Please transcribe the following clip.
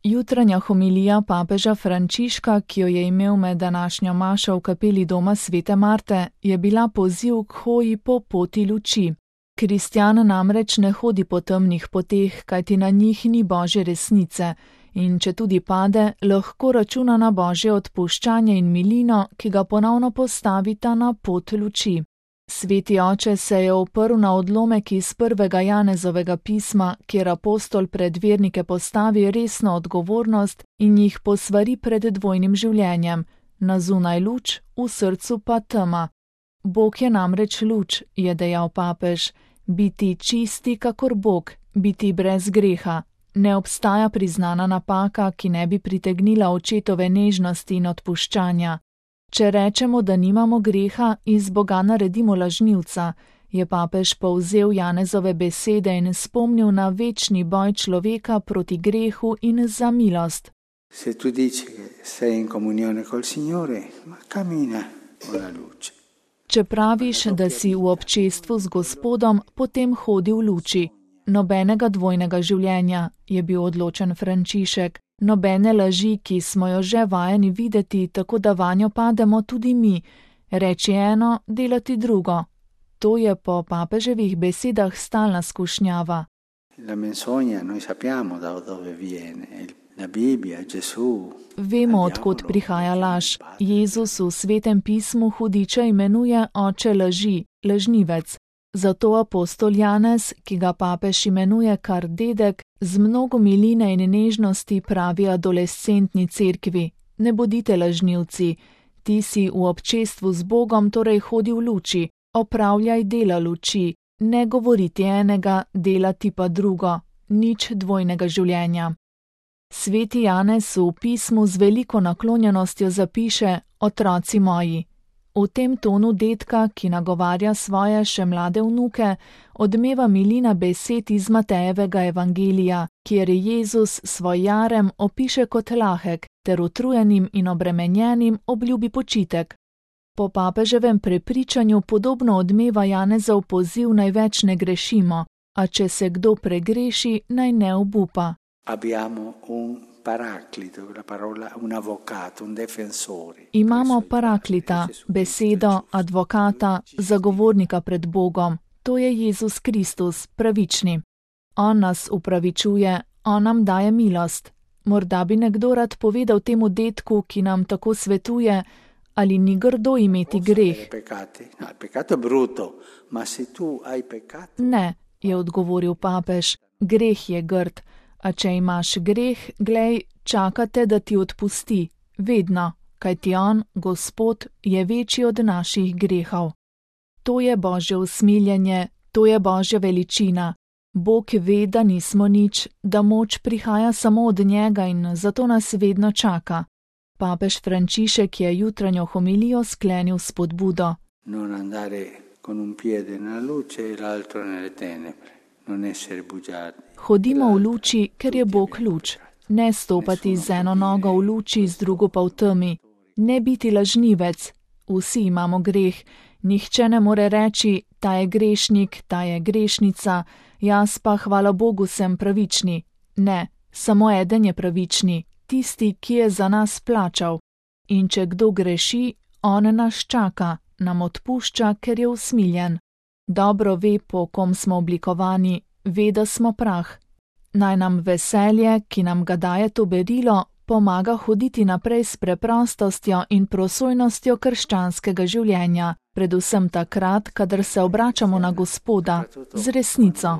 Jutranja homilija papeža Frančiška, ki jo je imel med današnjo mašo v kapeli doma svete Marte, je bila poziv k hoji po poti luči. Kristjan namreč ne hodi po temnih poteh, kajti na njih ni Božje resnice, in če tudi pade, lahko računa na Božje odpuščanje in milino, ki ga ponovno postavita na pot luči. Sveti oče se je oprl na odlomek iz 1. Janezovega pisma, kjer apostol pred vernike postavi resno odgovornost in jih posvari pred dvojnim življenjem, na zunaj luč, v srcu pa tema. Bog je namreč luč, je dejal papež, biti čisti kakor Bog, biti brez greha. Ne obstaja priznana napaka, ki ne bi pritegnila očetove nežnosti in odpuščanja. Če rečemo, da nimamo greha, iz Boga naredimo lažnivca, je papež povzel Janezove besede in spomnil na večni boj človeka proti grehu in za milost. Se tu dici che sei in comunione col Signore, ma cammina con la luce. Če praviš, da si v občestvu z Gospodom, potem hodi v luči. Nobenega dvojnega življenja, je bil odločen Frančišek. Nobene laži, ki smo jo že vajeni videti, tako da vanjo pademo tudi mi, reči eno, delati drugo. To je po papeževih besedah stalna skušnjava. La menzogna noi sappiamo da dove viene. La Bibbia, Gesù. Vemo, odkot prihaja laž. Jezus v svetem pismu hudiča imenuje oče laži, lažnivec. Zato apostol Janez, ki ga papež imenuje kar dedek, z mnogo miline in nežnosti pravi adolescentni cerkvi: ne bodite lažnivci, ti si v občestvu z Bogom, torej hodi v luči, opravljaj dela luči, ne govoriti enega, delati pa drugo, nič dvojnega življenja. Sveti Janez v pismu z veliko naklonjenostjo zapiše: otroci moji. V tem tonu dedka, ki nagovarja svoje še mlade vnuke, odmeva milina besed iz Matejevega evangelija, kjer Jezus svoj jarem opiše kot lahek, ter utrujenim in obremenjenim obljubi počitek. Po papeževem prepričanju podobno odmeva Janezov poziv naj več ne grešimo, a če se kdo pregreši, naj ne obupa. Imamo paraklita, besedo, advokata, zagovornika pred Bogom, to je Jezus Kristus, pravični. On nas upravičuje, on nam daje milost. Morda bi nekdo rad povedal temu dedku, ki nam tako svetuje, ali ni grdo imeti greh. Ne, je odgovoril papež, greh je grd. A če imaš greh, glej, čakate, da ti odpusti, vedno, kajti on, Gospod, je večji od naših grehov. To je Božje usmiljenje, to je Božja veličina. Bog ve, da nismo nič, da moč prihaja samo od njega in zato nas vedno čaka. Papež Frančišek je jutranjo homilijo sklenil s spodbudo. Non andare con un piede nella luce e l'altro nelle tenebre. Hodimo v luči, ker je Bog luč. Ne stopati z eno nogo v luči, z drugo pa v temi. Ne biti lažnivec. Vsi imamo greh. Nihče ne more reči, ta je grešnik, ta je grešnica, jaz pa, hvala Bogu, sem pravični. Ne, samo eden je pravični, tisti, ki je za nas plačal. In če kdo greši, on nas čaka, nam odpušča, ker je usmiljen. Dobro ve, po kom smo oblikovani, ve, da smo prah. Naj nam veselje, ki nam ga daje to berilo, pomaga hoditi naprej s preprostostjo in prosojnostjo krščanskega življenja, predvsem takrat, kadar se obračamo na Gospoda z resnico.